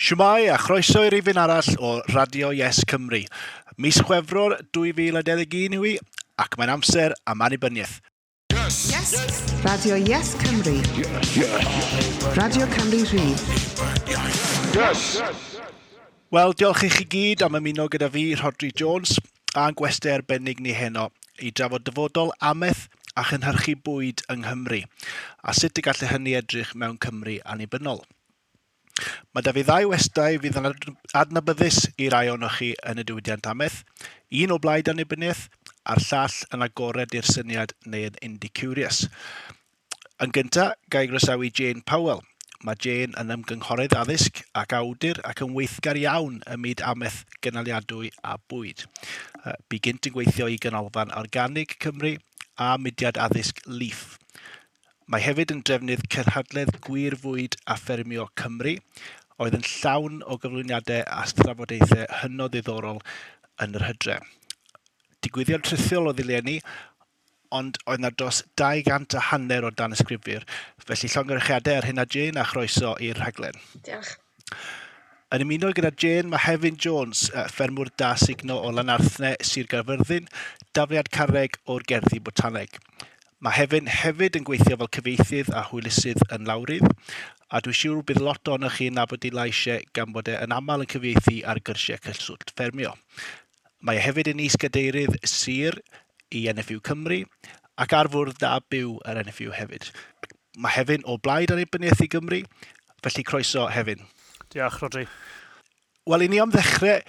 Shwmae a chroeso i rifyn arall o Radio Yes Cymru. Mis Chwefror 2021 yw hi, ac mae'n amser am annibyniaeth. Yes! Yes! Radio Yes Cymru. Yes! Yes! Radio Cymru Rhydd. Yes! Wel, diolch i chi gyd am ymuno gyda fi, Rhodri Jones, a'n gwestau arbennig ni heno i drafod dyfodol amaeth a chynhyrchu bwyd yng Nghymru, a sut y gallai hynny edrych mewn Cymru annibynnol. Mae 'da fi ddau westai fydd yn adnabyddus i rai ohonoch chi yn y diwydiant amaeth, un o blaid annibyniaeth a'r llall yn agored i'r syniad neu yn indie-curious. Yn gyntaf, ga i groesawu Jane Powell. Mae Jane yn ymgynghorydd addysg ac awdur ac yn weithgar iawn ym myd amaeth gynaliadwy a bwyd. Bu gynt yn gweithio i Ganolfan Organig Cymru a mudiad addysg LEAF. Mae hefyd yn drefnydd Cynhadledd Gwir Fwyd a Ffermio Cymru, oedd yn llawn o gyflwyniadau a thrafodaethau hynod ddiddorol yn yr hydre. Digwyddiad rhithiol oedd eleni, ond oedd 'na dros 200 a hanner o danysgrifwyr, felly llongyfarchiadau ar hynna Jane a chroeso i'r rhaglen. Diolch. Yn ymuno gyda Jane mae Hefin Jones, ffermwr da sugno o Lanarthne, Sir Gaerfyrddin, dafliad carreg o'r Gerddi Botaneg. Mae Hefin hefyd yn gweithio fel cyfieithydd a hwylusydd yn lawrydd, a dwi'n siŵr bydd lot ohonoch chi'n nabod ei lais e gan bod e yn aml yn cyfieithu ar gyrsiau cyswllt ffermio. Mae e hefyd yn is-gadeirydd sir i NFU Cymru ac ar fwrdd da byw yr NFU hefyd. Mae Hefin o blaid annibyniaeth i Gymru, felly croeso Hefin. Diolch, Rhodri. Wel, i ni am ddechrau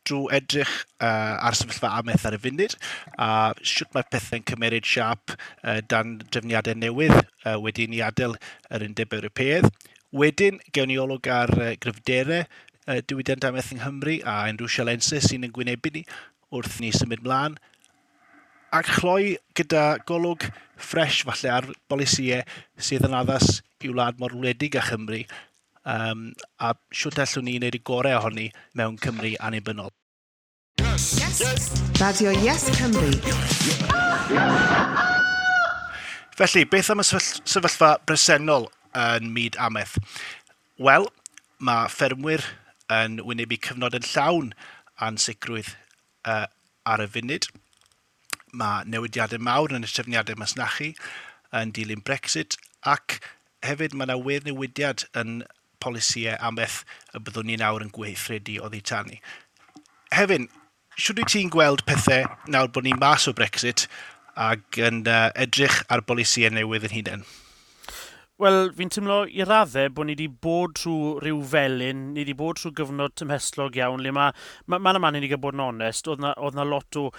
drwy edrych ar sefyllfa amaeth ar y funud a sut mae pethau'n cymeryd siâp dan drefniadau newydd wedi i ni adael yr Undeb Ewropeaidd. Wedyn, gewn ni olwg ar gryfderau diwydiant amaeth yng Nghymru a unrhyw sialensau sy'n ein gwynebu ni wrth ni symud mlaen. Ac chloi gyda golwg ffres falle ar bolisïau sydd yn addas i wlad mor wledig â Chymru a shwt allwn ni wneud y gorau ohoni mewn Cymru annibynnol. Yes. Yes. Radio Yes Cymru. Felly, beth am y sefyllfa bresennol yn myd amaeth? Wel, mae ffermwyr yn wynebu cyfnod yn llawn ansicrwydd ar y funud. Mae newidiadau mawr yn y trefniadau masnachu yn dilyn Brexit ac hefyd mae yna wir newidiad yn polisïau amaeth y byddwn ni nawr yn gweithredu oddi tani. Hefin, shwt wyt ti'n gweld pethau nawr bod ni mas o Brexit ac yn edrych ar bolisïau newydd yn hunain? Wel, fi'n teimlo i raddau bod ni wedi bod trwy rhyw felyn, ni wedi bod trwy gyfnod tymhestlog iawn, le mae, ma, man a man i ni gael bod yn onest, oedd na, oedd na lot o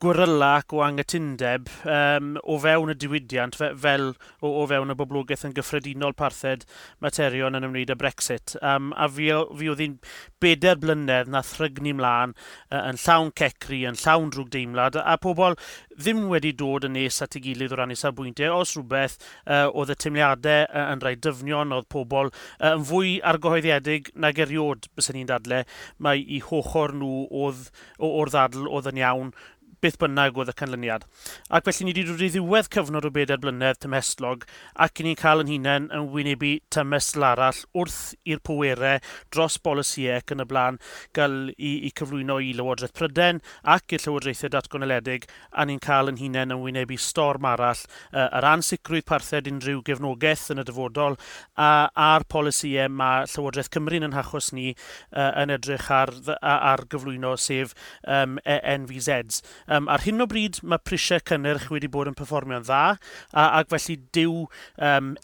gweryla ac o anghytundeb o fewn y diwydiant fe, fel o, o fewn y boblogaeth yn gyffredinol parthed materion yn ymwneud â Brexit. A fi, fi oedd hi'n bedair blynedd na thrygnu mlaen yn llawn cecru, yn llawn drwgdeimlad, a pobl ddim wedi dod yn nes at ei gilydd o ran eu safbwyntiau. Os rhywbeth, oedd y teimliadau yn rhai dyfnion, oedd pobl yn fwy argyhoeddiedig nag eriod, byswn i'n dadle, mae i hochor nhw oedd, o'r ddadl oedd yn iawn, beth bynnag oedd y canlyniad. Ac felly ni wedi dod i ddiwedd cyfnod o bedair blynedd tymhestlog ac i ni'n cael yn hunain yn wynebu tymhestl arall wrth i'r pwerau dros bolisïau ac yn y blaen gael i cyflwyno i Lywodraeth Prydain ac i'r Llywodraethau Datganoledig, a ni'n cael yn hunain yn wynebu storm arall, yr ansicrwydd parthed unrhyw gefnogaeth yn y dyfodol a'r polisïau mae Llywodraeth Cymru yn achos ni yn edrych ar, ar gyflwyno, sef NVZs. Ar hyn o bryd mae prisiau cynnyrch wedi bod yn perfformio'n dda, ac felly dyw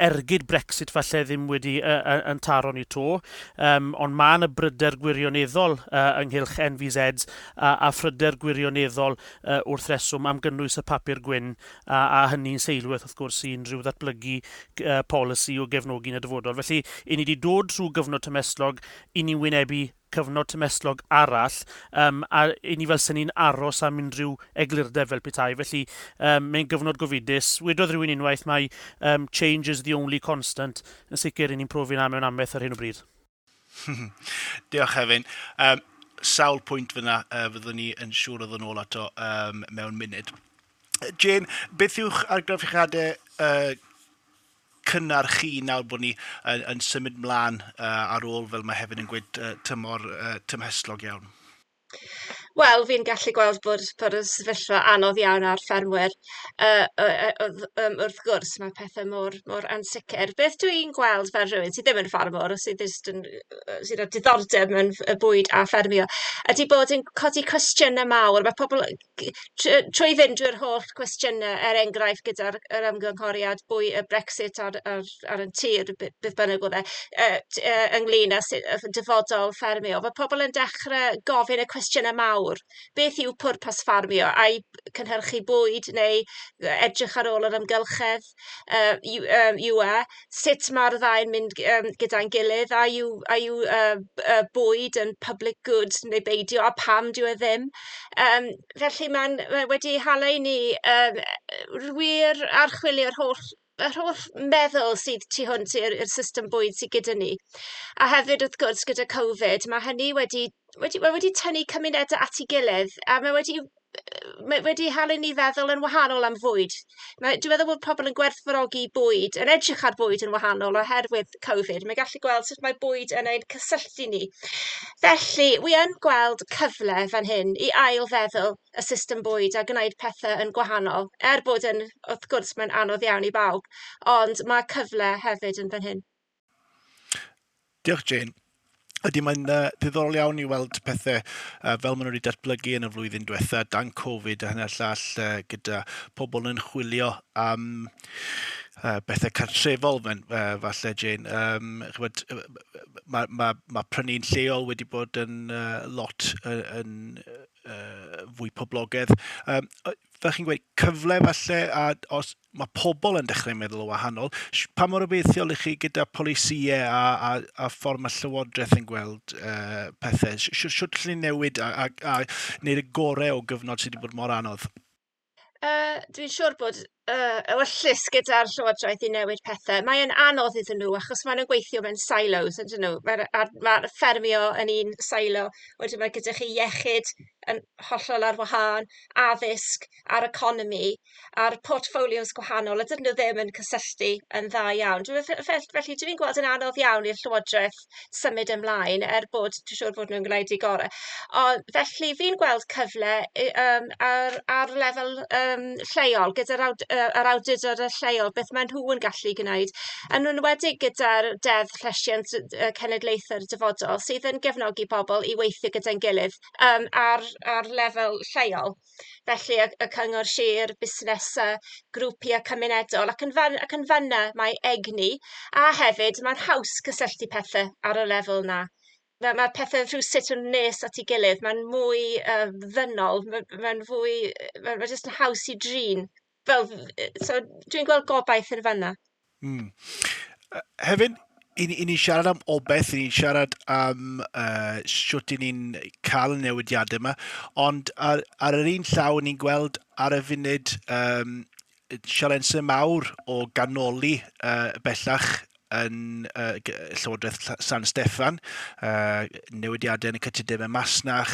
ergyd Brexit falle ddim wedi yn taro ni to, ond mae yna bryder gwirioneddol ynghylch NVZs a phryder gwirioneddol wrth reswm am gynnwys y papur gwyn, a hynny'n seilwaith wrth gwrs i unrhyw ddatblygu polisi o gefnogi yn y dyfodol. Felly, i ni wedi dod trwy gyfnod tymhestlog, i ni'n wynebu cyfnod tymhestlog arall, a i ni fel sy'n ni'n aros am unrhyw eglurdeb fel petai. Felly mae'n gyfnod gofidus. Wedodd rhywun unwaith mae change is the only constant. Yn sicr i ni'n profi na mewn amaeth ar hyn o bryd. Diolch, Hefin. Sawl pwynt fyna fyddwn ni yn siŵr o ddod nôl ato mewn munud. Jane, beth yw'ch argraffiadau cynnar chi nawr bod ni yn symud mlaen ar ôl, fel mae hefyd yn gweud, tymor tymhestlog iawn? Wel, fi'n gallu gweld bod y sefyllfa anodd iawn ar ffermwyr. Wrth gwrs, mae pethau mor ansicr. Beth dwi'n gweld fel rhywun sydd ddim yn ffarmwr, sydd jyst yn, sydd â diddordeb mewn bwyd a ffermio, ydy bod yn codi cwestiynau mawr. Mae pobl, trwy fynd drwy'r holl cwestiynau, er enghraifft gyda'r yr ymgynghoriad bwy, y Brexit ar y tir, beth bynnag oedd e, ynglyn â dyfodol ffermio, mae pobl yn dechrau gofyn y cwestiynau mawr. Beth yw pwrpas ffarmio? Ai cynhyrchu bwyd neu edrych ar ôl yr amgylchedd yw e? Sut mae'r ddau'n mynd gyda'n gilydd? A yw bwyd yn public good neu beidio, a pam dyw e ddim? Felly mae'n mae wedi hala i ni wir archwilio'r holl meddwl sydd tu hwnt i'r system bwyd sydd gyda ni. A hefyd, wrth gwrs, gyda Covid, mae hynny wedi tynnu cymunedau at ei gilydd a mae wedi hala ni feddwl yn wahanol am fwyd. Dwi'n meddwl bod pobl yn gwerthfawrogi bwyd, yn edrych ar bwyd yn wahanol oherwydd Covid. Mae'n gallu gweld sut mae bwyd yn ein cysylltu ni. Felly, wi yn gweld cyfle fan hyn i ail-feddwl y system bwyd a gwneud pethau yn gwahanol. Er bod yn, wrth gwrs, mae'n anodd iawn i bawb, ond mae cyfle hefyd yn fan hyn. Diolch, Jane. Ydy, mae'n ddiddorol iawn i weld pethau fel maen nhw wedi datblygu yn y flwyddyn diwetha, dan Covid a hynny'r llall, gyda pobl yn chwilio am bethau cartrefol, falle, Jane. Ch'mod, ma prynu'n lleol wedi bod yn lot yn fwy poblogaidd. Fel chi'n gweud, cyfle falle, a os mae pobl yn dechrau meddwl o wahanol, pa mor obeithiol i chi gyda polisïau a ffordd mae Llywodraeth yn gweld pethau? Shwt allen ni newid a wneud y gorau o gyfnod sydd wedi bod mor anodd? Dwi'n siŵr bod ewyllys gyda'r Llywodraeth i newid pethau. Mae'n anodd iddyn nhw achos maen nhw'n gweithio mewn silos, ydyn nhw? Mae'r ma ffermio yn un silo, wedyn mae gyda chi iechyd yn hollol ar wahân, addysg a'r economi, a'r portfolios gwahanol, a dydyn nhw ddim yn cysylltu yn dda iawn. Felly dwi'n gweld yn anodd iawn i'r Llywodraeth symud ymlaen, er bod dwi'n siŵr bod nhw'n gwneud eu gorau. Ond felly fi'n gweld cyfle ar lefel lleol, gyda'r yr awdurdod lleol, beth maen nhw yn gallu gwneud. Yn enwedig gyda'r Deddf Llesiant Cenedlaethau'r Dyfodol, sydd yn gefnogi pobl i weithio gyda'n gilydd ar lefel lleol. Felly y cyngor sir, busnesau, grwpiau cymunedol ac yn fanna mae egni, a hefyd mae'n haws cysylltu pethau ar y lefel 'na. Mae pethau rhywsut yn nes at ei gilydd, mae'n mwy ddynol, mae'n fwy, mae jyst yn haws i drin. Fel, so dwi'n gweld gobaith yn fanna. Hefyd, i ni siarad am obaith, i ni siarad am shwt i ni'n cael y newidiadau yma, ond ar yr un llaw, ni'n gweld ar y funud sialensau mawr o ganoli bellach yn Llywodraeth San Steffan, newidiadau yn y cytundebau masnach,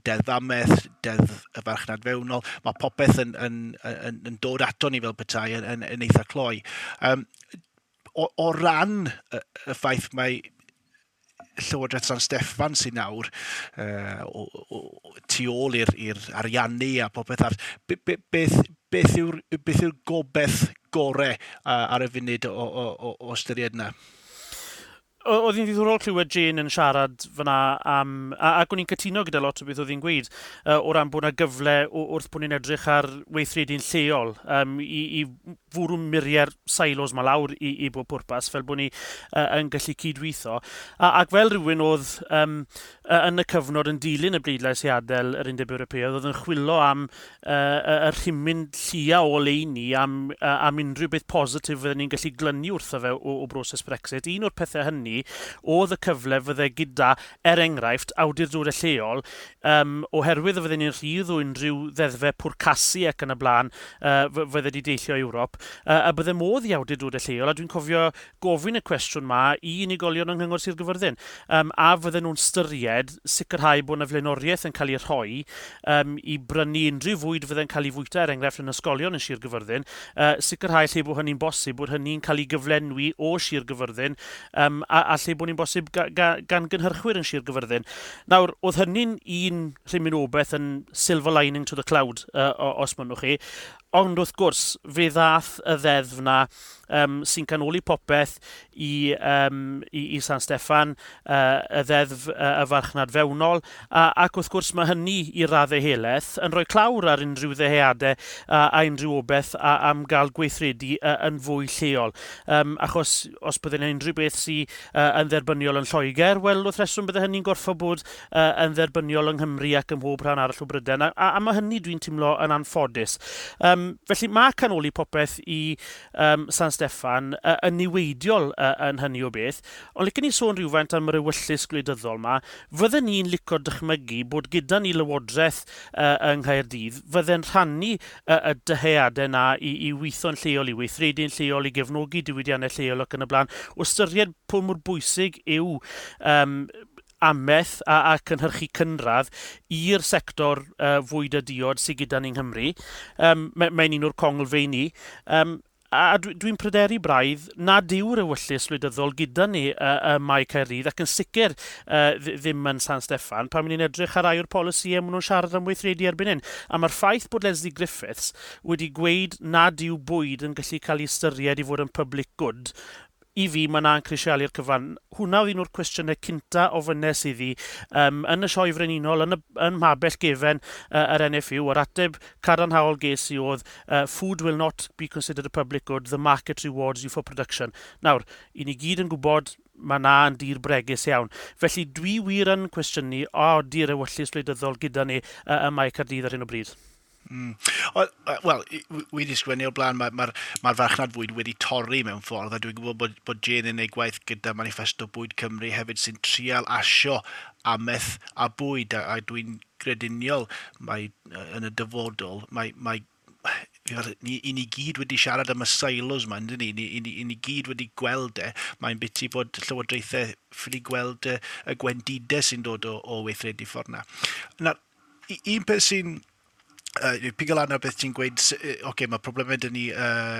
Deddf Amaeth, Deddf y Farchnad Fewnol, mae popeth yn dod ato ni fel petai yn eitha cloi. O ran y ffaith mae Llywodraeth San Steffan sy'n nawr tu ôl i'r ariannu a popeth arall, beth yw'r gobaith gorau ar y funud o ystyried yna? Oedd hi'n ddiddorol clywed Jane yn siarad fyna am, ac o'n i'n cytuno gyda lot o beth oedd hi'n gweud, o ran bod yna gyfle wrth bod ni'n edrych ar weithredu'n lleol i fwrw muriau'r silos ma lawr i bob pwrpas, fel bod ni yn gallu cydweithio. Ac fel rhywun oedd yn y cyfnod yn dilyn y bleidlais i adael yr Undeb Ewropeaidd, oedd yn chwilio am y rhimyn llia o oleuni am unrhyw beth positif fydden ni'n gallu glynu wrtho fe o broses Brexit. Un o'r pethau hynny oedd y cyfle fydde gyda, er enghraifft, awdurdodau lleol, oherwydd y fydden ni'n rhydd o unrhyw ddeddfau pwrcasu ac yn y blaen fydde wedi deillio Ewrop. y bydde modd i awdurdodau lleol, a dwi'n cofio gofyn y cwestiwn ma i unigolion yng Nghyngor Sir Gyfyrddin, a fydden nhw'n styried sicrhau bod yna flaenoriaeth yn cael ei rhoi i brynu unrhyw fwyd fydde'n cael ei fwyta, er enghraifft yn ysgolion yn Sir Gyfyrddin, sicrhau lle bod hynny'n bosib, bod hynny'n cael ei gyflenwi o Sir Gyfyrddin, a lle bod ni'n bosib gan gynhyrchwyr yn Sir Gyfyrddin. Nawr, oedd hynny'n un rhimyn o beth yn silver lining to the cloud, os mynnwch chi. Ond wrth gwrs, fe ddath y ddeddf na sy'n canoli popeth i San Steffan, y ddeddf y farchnad fewnol, ac wrth gwrs mae hynny i raddau helaeth yn rhoi clawr ar unrhyw ddyheadau a unrhyw obaith am gael gweithredu yn fwy lleol. Achos os bydde'n unrhyw beth sydd yn dderbyniol yn Lloegr, wel, wrth reswm bydde hynny'n gorfod bod yn dderbyniol yng Nghymru ac ym mhob rhan arall o Brydain, a mae hynny dwi'n teimlo yn anffodus. Felly mae canoli popeth i San Steffan yn niweidiol yn hynny o beth, ond licen ni sôn rhywfaint am yr ewyllys gwleidyddol ma. Fydden ni'n licio dychmygu bod gyda ni lywodraeth yng Nghaerdydd fydde'n rhannu y dyheadau na i weithio'n lleol, i weithredu'n lleol, i gefnogi diwydiannau lleol ac yn y blaen, o ystyried pwy mor bwysig yw amaeth a cynhyrchu cynradd i'r sector fwyd a diod sydd gyda ni'n Nghymru. Mae'n un o'r conglfeini. A dwi'n pryderu braidd nad yw'r ewyllys wleidyddol gyda ni ym Mae Caerdydd ac yn sicr ddim yn San Steffan pan ni'n edrych ar rai o'r polisïau maen nhw'n siarad am weithredu erbyn hyn. A mae'r ffaith bod Lesley Griffiths wedi gweud nad yw bwyd yn gallu cael ei ystyried i fod yn public good, i fi mae na'n crisialu'r cyfan. Hwna oedd un o'r cwestiynau cynta ofynnes iddi yn y Sioe Frenhinol, yn mhabell gefen yr NFU. Yr ateb cadarnhaol ges i oedd "Food will not be considered a public good, the market rewards you for production." Nawr, i ni gyd yn gwybod mae na yn dir bregus iawn. Felly dwi wir yn cwestiynu, o, di'r ewyllys wleidyddol gyda ni ym Mae Caerdydd ar hyn o bryd. Wel, wedi sgwennu o'r blaen, mae'r ma farchnad fwyd wedi torri mewn ffordd, a dwi'n gwybod bod Jane yn ei gwaith gyda Manifesto Bwyd Cymru hefyd sy'n trial asio amaeth a bwyd, a dwi'n grediniol mae yn y dyfodol, mae ni gyd wedi siarad am y silos yma, yndyn ni? Ni gyd wedi gweld e. Mae'n biti bod llywodraethau ffili gweld y gwendidau sy'n dod o weithredu ffordd na. Na, un peth sy'n pigo lan ar beth ti'n gweud, oce, okay, mae problemau dyn ni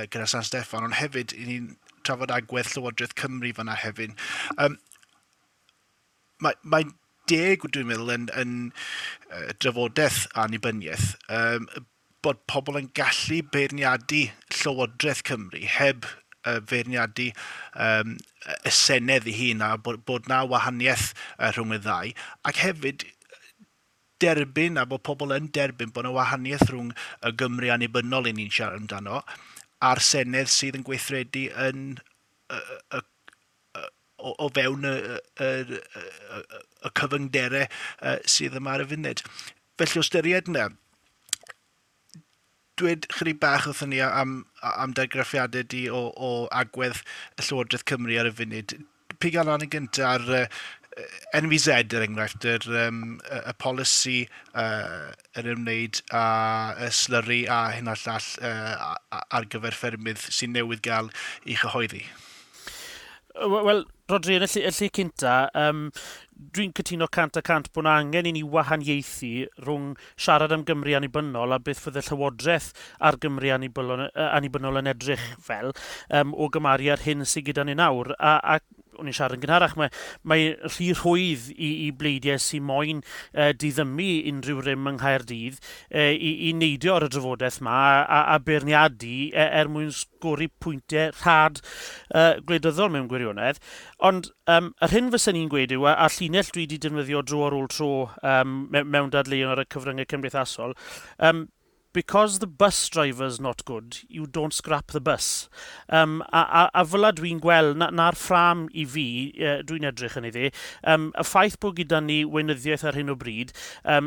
gyda San Steffan, ond hefyd, i ni'n trafod agwedd Llywodraeth Cymru fanna hefyd. Mae deg, dwi'n meddwl, yn drafodaeth annibyniaeth, bod pobl yn gallu beirniadu Llywodraeth Cymru heb feirniadu y Senedd ei hun a bod na wahaniaeth rhwng y ddau. Ac hefyd derbyn a bod pobl yn derbyn bod yna wahaniaeth rhwng y Gymru annibynnol i ni'n siarad amdano a'r Senedd sydd yn gweithredu yn o fewn y cyfyngderau sydd yma ar y funud. Felly o ystyried yna, dweud chydig bach wrthon ni am dargraffiadau di o agwedd y Llywodraeth Cymru ar y funud. Piga lan yn gyntaf ar NVZ, er enghraifft, y polisi yr ymwneud â y slyri a hyn a'r llall ar gyfer ffermydd sy'n newydd gael ei chyhoeddi. Wel, Rodri, yn y lle cynta, dwi'n cytuno 100% bod yna angen i ni wahaniaethu rhwng siarad am Gymru annibynnol a beth fydde llywodraeth ar Gymru annibynnol yn edrych fel o gymharu ar hyn sydd gyda ni nawr. A o'n i'n siarad yn gynharach, mae rhy rhwydd i bleidiau sy'n moyn diddymu unrhyw rym yng Nghaerdydd i neidio ar y drafodaeth ma a beirniadu er mwyn sgori pwyntiau rhad gwleidyddol mewn gwirionedd. Ond yr hyn fysen ni'n gweud yw, a llinell dwi wedi defnyddio dro ar ôl tro mewn dadleuon ar y cyfryngau cymdeithasol, because the bus driver's not good, you don't scrap the bus. A fel dwi'n gweld, na'r ffrâm i fi, dwi'n edrych yn iddi, y ffaith bod gyda ni weinyddiaeth ar hyn o bryd,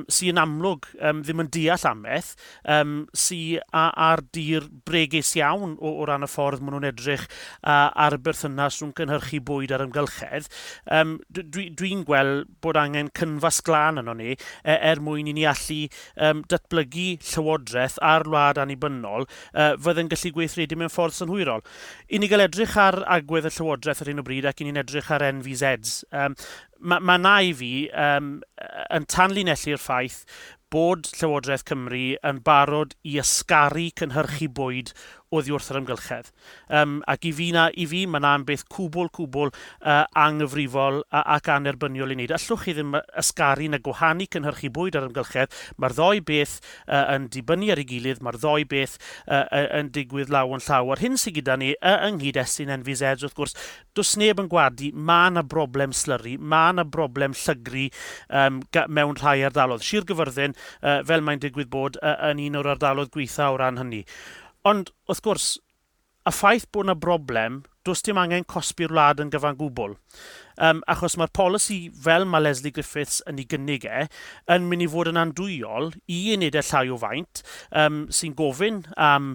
sy'n amlwg ddim yn deall amaeth, sy'n ar dir bregus iawn o ran y ffordd maen nhw'n edrych ar y berthynas rhwng cynhyrchu bwyd a'r amgylchedd, dwi'n gweld bod angen cynfas glân yno ni er mwyn i ni allu datblygu llywodraeth Llywodraeth a'r wlad annibynnol fydd yn gallu gweithredu mewn ffordd synhwyrol. I ni gael edrych ar agwedd y Llywodraeth ar hyn o bryd ac i ni'n edrych ar NVZs. Mae ma na i fi yn tanlinellu'r ffaith bod Llywodraeth Cymru yn barod i ysgaru cynhyrchu bwyd oddi wrth yr amgylchedd. Ac i fi, na, i fi mae na'n beth cwbl, cwbl anghyfrifol ac anerbyniol i wneud. Allwch chi ddim ysgaru na gwahanu cynhyrchu bwyd ar amgylchedd. Mae'r ddou beth yn dibynnu ar ei gilydd, mae'r ddou beth yn digwydd law yn llaw. A'r hyn sydd gyda ni yng nghyd-destun NVZs, wrth gwrs, does neb yn gwadu, mae yna broblem slyri, mae yna broblem llygru mewn rhai ardaloedd. Sir Gyfyrddin, fel mae'n digwydd bod, yn un o'r ardaloedd gweitha o ran hynny. Ond, wrth gwrs, y ffaith bod yna broblem, does dim angen cosbi'r wlad yn gyfan gwbl. Achos mae'r polisi fel mae Lesley Griffiths yn ei gynnig e, yn mynd i fod yn andwyol i unedau llai o faint, sy'n gofyn am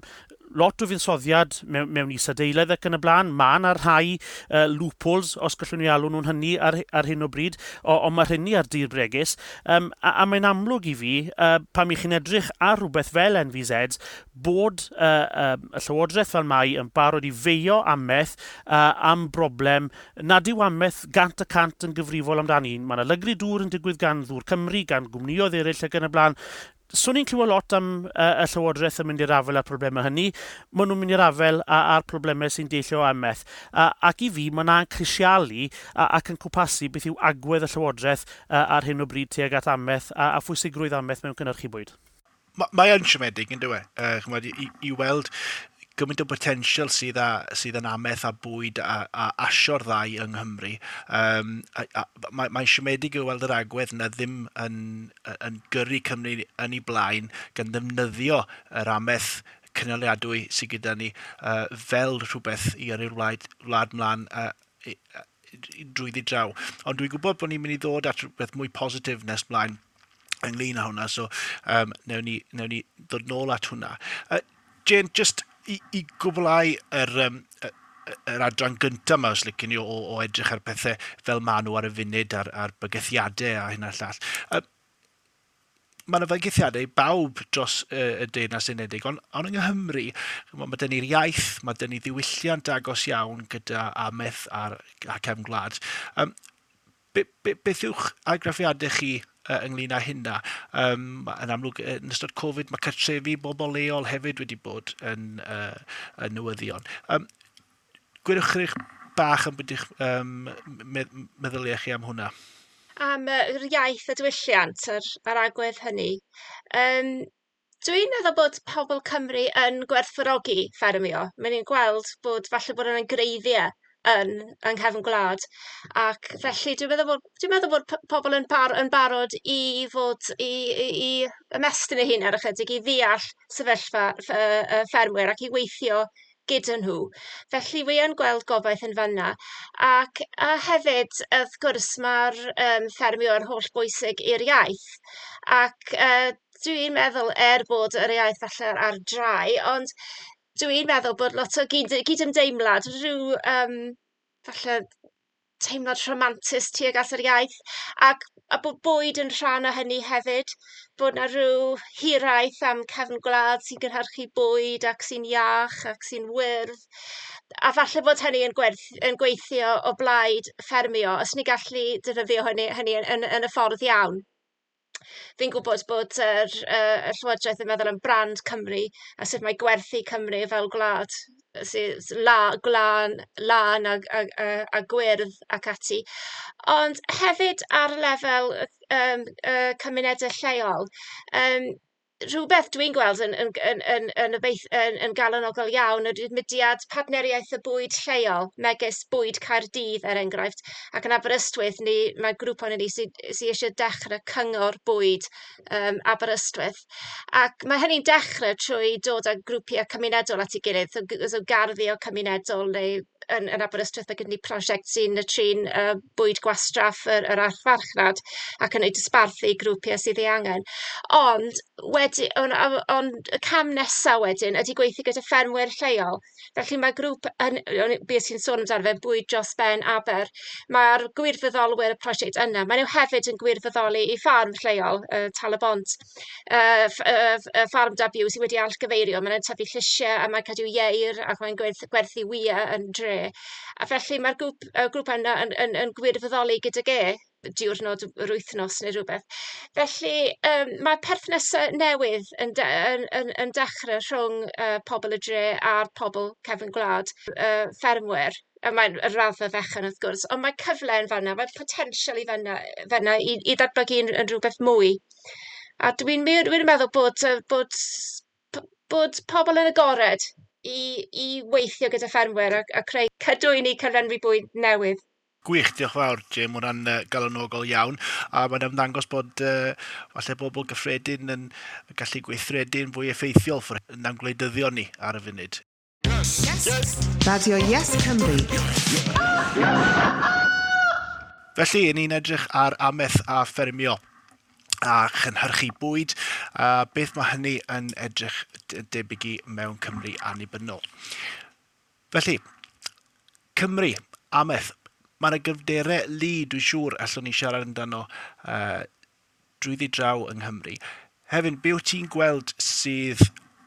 lot o fuddsoddiad mewn isadeiledd ac yn y blaen. Mae yna rhai loopholes, os gallwn ni alw nhw'n hynny ar hyn o bryd, ond mae hynny ar dir bregus. A mae'n amlwg i fi, pam i chi'n edrych ar rhywbeth fel NVZs, bod y Llywodraeth fel mai yn barod i feio ameth am broblem nad yw ameth 100% yn gyfrifol amdani. Mae yna lygru dŵr yn digwydd gan Ddŵr Cymru, gan gwmnïoedd eraill ac yn y blaen. Swn i'n clywed lot am y Llywodraeth yn mynd i'r afael â'r problemau hynny. Maen nhw'n mynd i'r afael â'r problemau sy'n deillio o ameth. Ac i fi, mae yna'n crisialu ac yn cwmpasu beth yw agwedd y Llywodraeth ar hyn o bryd tuag at ameth a phwysigrwydd ameth mewn cynhyrchu bwyd. Mae yn siomedig, yn dyw e? Ch'mod, i weld gymaint o potensial sydd yn ameth a bwyd a asio'r ddau yng Nghymru. Mae'n siomedig i weld yr agwedd na ddim yn gyrru Cymru yn ei blaen gan ddefnyddio yr ameth cynaliadwy sydd gyda ni fel rhywbeth i yrru'r wlad mlaen drwyddi draw. Ond dwi'n gwybod bod ni'n mynd i ddod at rhywbeth mwy positif nes mlaen ynglyn â hwnna, so newn ni ddod nôl at hwnna. Jane, just i gwblhau yr adran gyntaf yma, os licen ni, o edrych ar pethau fel maen nhw ar y funud, ar bygythiadau a hyn a'r llall. Mae yna fygythiadau i bawb dros y Deyrnas Unedig, ond yng Nghymru, mae dyn ni'r iaith, mae dyn ni ddiwylliant agos iawn gyda ameth a cefn gwlad. Beth yw'ch argraffiadau chi ynglyn â hynna? Yn amlwg, yn ystod Covid, mae cartrefi bobl leol hefyd wedi bod yn newyddion. Gwedwch chydig bach am beth ych meddyliau chi am hwnna. Am yr iaith a diwylliant, yr agwedd hynny. Dwi'n meddwl bod pobl Cymru yn gwerthfawrogi ffermio. Mae'n ni'n gweld bod falle bod yna'n greiddiau yng nghefn gwlad, ac felly dwi'n meddwl bod pobl yn barod i fod i ymestyn eu hunain ychydig, i ddeall sefyllfa y ffermwyr ac i weithio gyda nhw. Felly wi yn gweld gobaith yn fanna. Ac a hefyd, wrth gwrs, mae'r ffermio yn holl bwysig i'r iaith. Ac dwi'n meddwl, er bod yr iaith falle ar drai, ond dwi'n meddwl bod lot o gydymdeimlad, rhyw falle teimlad rhamantus tuag at yr iaith, ac a bod bwyd yn rhan o hynny hefyd, bod 'na rhyw hiraeth am cefn gwlad sy'n gynhyrchu bwyd ac sy'n iach ac sy'n wyrdd, a falle bod hynny yn gweithio o blaid ffermio, os ni gallu defnyddio hynny yn y ffordd iawn. Fi'n gwybod bod y Llywodraeth yn meddwl am brand Cymru a sut mae gwerthu Cymru fel gwlad sydd glân, lân a gwyrdd ac ati. Ond hefyd ar lefel cymunedau lleol, rhywbeth dwi'n gweld yn galonogol iawn ydy'r mudiad partneriaeth y bwyd lleol, megis Bwyd Caerdydd er enghraifft, ac yn Aberystwyth mae grŵp ohonon ni sy eisiau dechrau cyngor bwyd Aberystwyth. Ac mae hynny'n dechrau trwy dod â grwpiau cymunedol at ei gilydd, so garddio cymunedol neu yn Aberystwyth mae gyda ni prosiect sy'n trin bwyd gwastraff yr archfarchnad ac yn ei dosbarthu i grwpiau sydd ei angen. Ond Wedi, ond on, y cam nesaf wedyn ydy gweithio gyda ffermwyr lleol. Felly mae grŵp, yn, beth sy'n sôn amdano fe, Bwyd Dros Ben Aber, mae'r gwirfoddolwyr y prosiect yna, maen nhw hefyd yn gwirfoddoli i ffarm lleol, Tal-y-bont, ffarm da byw sydd wedi allgyfeirio. Maen nhw'n tyfu llysiau a mae'n cadw ieir ac mae'n gwerthu wyau yn dre. A felly mae'r grŵp yna yn gwirfoddoli gydag e diwrnod yr wythnos neu rhywbeth. Felly mae perthnasau newydd yn dechrau rhwng pobl y dre a'r pobl cefn gwlad, ffermwyr. A mae'n y raddfa fechan wrth gwrs, ond mae cyfle yn fanna, mae potensial i fanna i ddatblygu yn rhywbeth mwy. A dwi'n meddwl bod pobl yn agored i weithio gyda ffermwyr a creu cadwyni cyflenwi bwyd newydd. Gwych, diolch fawr, Jim, hwnna'n galonogol iawn. A mae'n ymddangos bod falle bobl gyffredin yn gallu gweithredu'n fwy effeithiol na'n gwleidyddion ni ar y funud. Yes. Yes. Radio Yes Cymru. Felly, ni'n edrych ar amaeth a ffermio a chynhyrchu bwyd, a beth mae hynny yn edrych debyg i mewn Cymru annibynnol. Felly, Cymru, amaeth, mae yna gyfderau lu, dwi'n siŵr, allwn ni siarad amdano drwyddi draw yng Nghymru. Hefyd, be wyt ti'n gweld sydd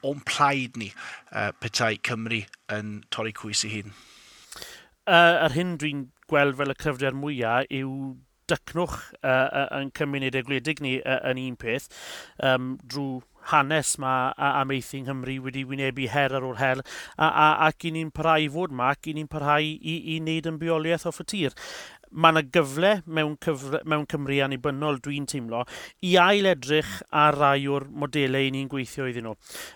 o'n plaid ni petai Cymru yn torri cwys ei hun? Yr hyn dwi'n gweld fel y cryfder mwyaf yw dycnwch yn cymunedau gwledig ni yn un peth, drwy hanes mae amaethu yng Nghymru wedi wynebu her ar ôl her, ac i ni'n parhau i fod yma, ac i ni'n parhau i wneud yn bywoliaeth off y tir. Mae yna gyfle mewn Cymru annibynnol, dwi'n teimlo, i ail edrych ar rai o'r modelau i ni'n gweithio iddyn nhw.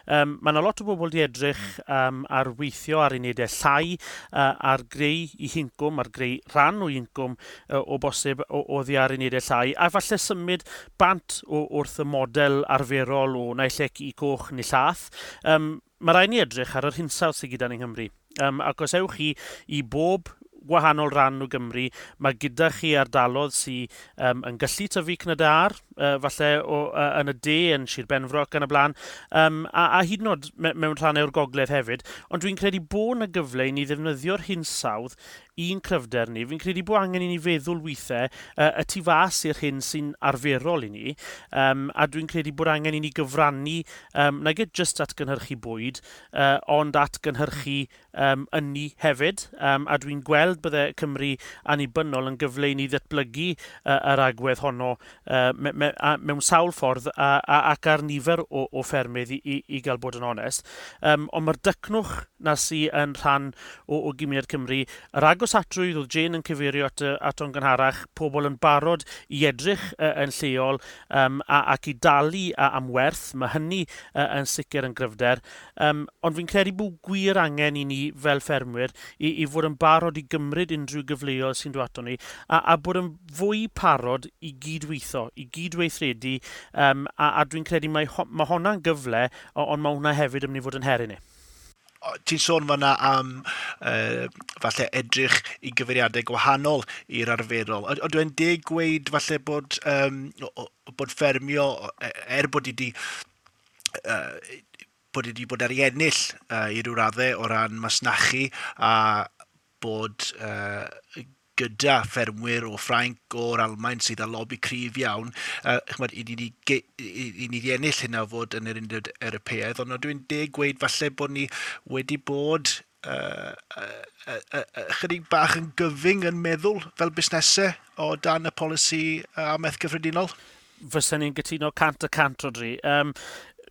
Mae yna lot o bobl di edrych ar weithio ar unedau llai, ar greu i hincwm, ar greu rhan o incwm o bosib oddi ar unedau llai, a falle symud bant wrth y model arferol o naill ai i coch neu llath. Mae rhaid ni edrych ar yr hinsawdd sydd gyda ni yng Nghymru. Ac os ewch chi i bob gwahanol ran o Gymru, mae gyda chi ardalodd sydd yn gallu tyfu cnydau ar, falle yn y de, yn Sir Benfro ac yn y blaen, a hyd yn oed mewn rhannau o'r gogledd hefyd, ond dwi'n credu bod yna gyfle i ni ddefnyddio'r hinsawdd i'n cryfder ni. Fi'n credu bod angen i ni feddwl weithiau y tu fas i'r hyn sy'n arferol i ni, a dwi'n credu bod angen i ni gyfrannu, nag jyst at gynhyrchu bwyd, ond at gynhyrchu ynni hefyd, a dwi'n gweld bydde Cymru annibynnol yn gyfle i ni ddatblygu yr agwedd honno mewn sawl ffordd ac ar nifer o ffermydd i gael bod yn onest. Ond mae'r dycnwch na sy yn rhan o gymuned Cymru, yr agosatrwydd oedd Jane yn cyfeirio ato'n gynharach, pobl yn barod i edrych yn lleol ac i dalu am werth, mae hynny yn sicr yn gryfder. Ond fi'n credu bod gwir angen i ni fel ffermwyr i fod yn barod i gymryd unrhyw gyfleoedd sy'n dod ato ni a bod yn fwy parod i gydweithio, i gydweithredu, a dwi'n credu mae hwnna'n gyfle, ond mae hwnna hefyd yn mynd i fod yn her i ni. Ti'n sôn fan'na am falle edrych i gyfeiriadau gwahanol i'r arferol. Ydw i'n deg gweud falle bod ffermio, er bod i wedi bod ar ei ennill i ryw raddau o ran masnachu a bod gyda ffermwyr o Ffrainc, o'r Almaen sydd â lobi cryf iawn, ch'mod, i ni wedi ennill hynna o fod yn yr Undeb Ewropeaidd, ond dwi'n deg gweud falle bod ni wedi bod chydig bach yn gyfyng yn meddwl fel busnesau o dan y polisi amaeth gyffredinol? Fysen ni'n gytuno 100% Rhodri.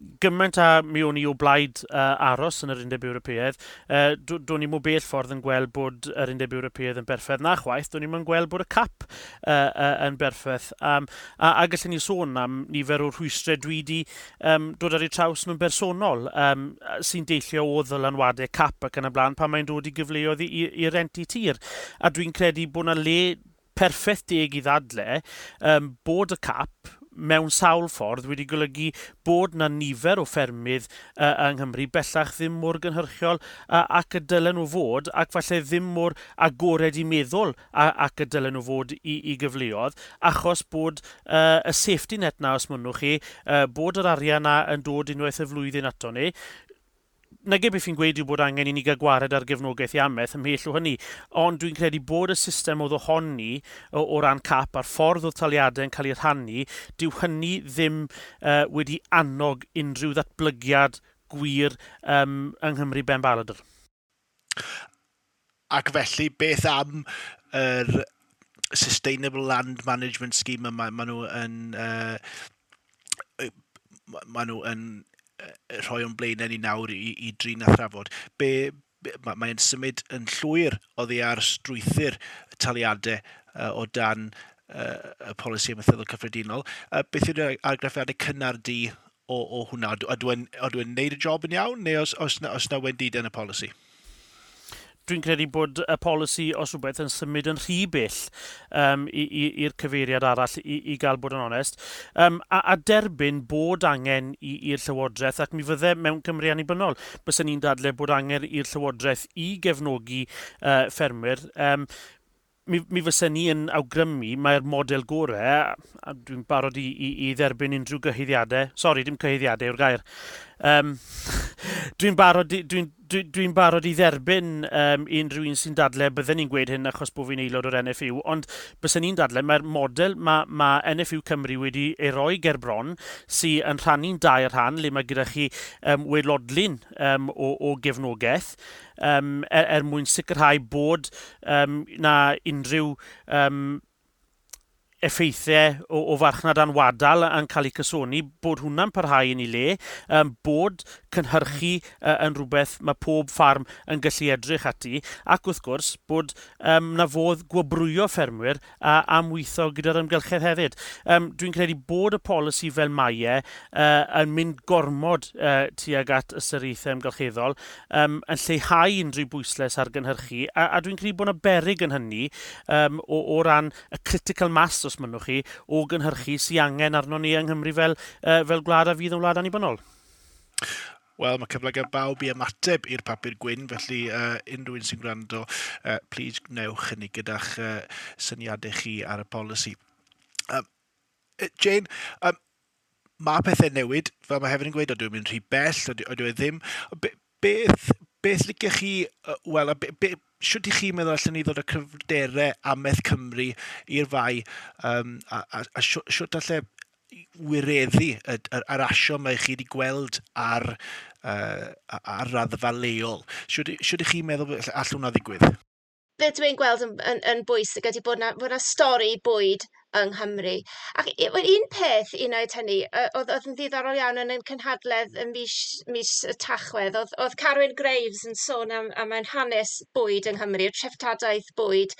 Gymaint a mi o'n i o blaid aros yn yr Undeb Ewropeaidd, do'n i'm o bell ffordd yn gweld bod yr Undeb Ewropeaidd yn berffaith na chwaith, do'n i'm yn gweld bod y cap yn berffaith. A gallwn ni sôn am nifer o'r rhwystrau dwi wedi dod ar eu traws nhw'n bersonol, sy'n deillio o ddylanwadau cap ac yn y blaen pan mae'n dod i gyfleoedd i rentu tir. A dwi'n credu bod yna le perffaith deg i ddadle bod y cap mewn sawl ffordd wedi golygu bod na nifer o ffermydd yng Nghymru bellach ddim mor gynhyrchiol ac y dylen nhw fod, ac falle ddim mor agored i meddwl ac y dylen nhw fod i gyfleoedd, achos bod y safety net na, os mynnwch chi, bod yr arian na yn dod unwaith y flwyddyn ato ni. Nage beth fi'n gweud yw bod angen i ni gael gwared ar gefnogaeth i amaeth, ymhell o hynny, ond dwi'n credu bod y system oedd ohoni o ran cap a'r ffordd oedd taliadau yn cael eu rhannu, dyw hynny ddim wedi annog unrhyw ddatblygiad gwir yng Nghymru ben baladr. Ac felly, beth am yr Sustainable Land Management Scheme yma, maen nhw yn rhoi o'n blaenau ni nawr i drin a thrafod? Mae'n symud yn llwyr oddi ar strwythur taliadau o dan y polisi amaethyddol cyffredinol. Beth yw'r argraffiadau cynnar di o hwnna? Ydw e'n neud y job yn iawn, neu oes na wendidau yn y polisi? Dwi'n credu bod y polisi os rhywbeth yn symud yn rhy bell i'r cyfeiriad arall, i gael bod yn onest. A derbyn bod angen i'r Llywodraeth, ac mi fydde mewn Cymru annibynnol, byswn ni'n dadle bod angen i'r Llywodraeth i gefnogi ffermwyr. Mi fysen ni yn awgrymu mae'r model gorau, a dwi'n barod i dderbyn unrhyw gyhuddiadau, sori, dim cyhuddiadau yw'r gair, dwi'n barod i dderbyn unrhyw un sy'n dadle bydden ni'n gweud hyn achos bod fi'n aelod o'r NFU, ond bysen ni'n dadle mae'r model mae NFU Cymru wedi ei roi ger bron sy'n yn rhannu'n dair rhan, le mae gyda chi waelodlin o gefnogaeth er mwyn sicrhau bod na unrhyw effeithiau o farchnad anwadal yn cael eu cysoni, bod hwnna'n parhau yn ei le, bod cynhyrchu yn rhywbeth mae pob ffarm yn gallu edrych ati, ac wrth gwrs bod na fodd gwobrwyo ffermwyr am weithio gyda'r amgylchedd hefyd. Dwi'n credu bod y polisi fel mae e yn mynd gormod tuag at ystyriaethau amgylcheddol, yn lleihau unrhyw bwyslais ar gynhyrchu, a dwi'n credu bod yna berig yn hynny o ran y critical mass, os mynnwch chi, o gynhyrchu sy'n angen arno ni yng Nghymru fel gwlad a fydd yn wlad annibynnol. Wel, mae cyfle gan bawb i ymateb i'r papur gwyn, felly unrhyw un sy'n gwrando, please gwnewch hynny gyda'ch syniadau chi ar y polisi. Jane, mae pethau newid, fel mae hefyd yn gweud, ydw i'n mynd rhy bell, ydw i ddim. Beth licech chi, wel, shwt i chi'n meddwl allan ni ddod â cryfderau amaeth Cymru i'r fai, a shwt alle wireddu yr asio mae chi wedi gweld ar raddfa leol? Shwt i chi'n meddwl all hwnna ddigwydd? Beth dwi'n gweld yn bwysig ydy bod na stori bwyd yng Nghymru. Ac un peth i wneud hynny, oedd yn ddiddorol iawn yn ein cynhadledd yn mis y Tachwedd, oedd Carwyn Graves yn sôn am ein hanes bwyd yng Nghymru, y treftadaeth bwyd,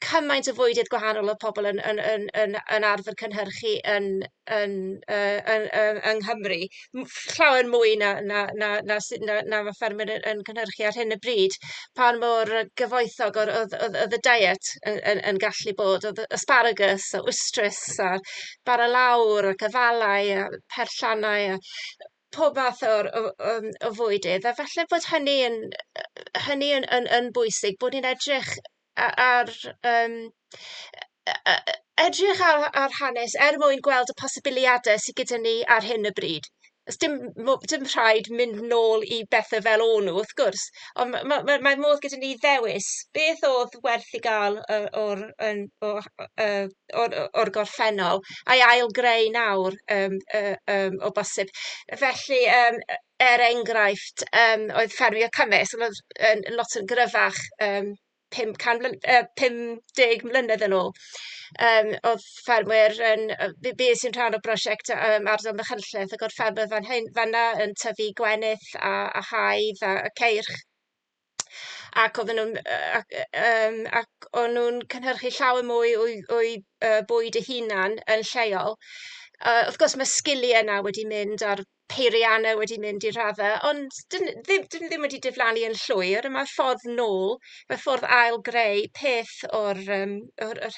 cymaint o fwydydd gwahanol o pobl yn arfer cynhyrchu yn Nghymru. Llawer mwy na mae ffermwyr yn cynhyrchu ar hyn o bryd. Pan mor gyfoethog oedd y diet yn gallu bod. Oedd asparagus a wystrys a bara lawr ac afalau a perllannau a pob math o fwydydd. A falle bod hynny yn bwysig, bod ni'n edrych ar hanes er mwyn gweld y posibiliadau sydd gyda ni ar hyn o bryd. Oes dim rhaid mynd nôl i bethau fel o'n nhw, wrth gwrs, ond mae modd gyda ni ddewis beth oedd werth i gael o'r gorffennol a'i ail-greu nawr o bosib. Felly, er enghraifft, oedd ffermio cymysg yn lot yn gryfach 50 mlynedd yn ôl. Oedd ffermwyr yn... Bues i'n rhan o brosiect ardal Machynlleth ac oedd ffermwyr fan hyn, fan'na yn tyfu gwenith a haidd a ceirch ac o'n nhw'n cynhyrchu llawer mwy o'u bwyd eu hunan yn lleol. Wrth gwrs mae sgiliau yna wedi mynd a'r peiriannau wedi mynd i raddau, ond dyn nhw ddim wedi diflannu yn llwyr, a mae ffordd nôl, mae ffordd ail-greu peth o'r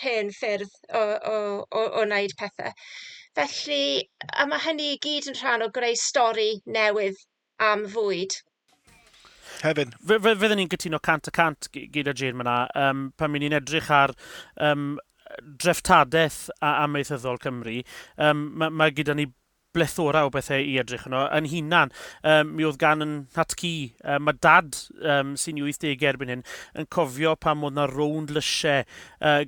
hen ffyrdd o wneud pethau. Felly, a mae hynny i gyd yn rhan o greu stori newydd am fwyd. Hefin. Fydden ni'n cytuno 100% gyda Jane myna, pan ni'n edrych ar dreftadaeth amaethyddol Cymru, mae gyda ni blethora o bethau i edrych yno. Yn hunan, mi oedd gan yn nhatcu, mae dad sy'n 80 erbyn hyn, yn cofio pam oedd na rownd lysiau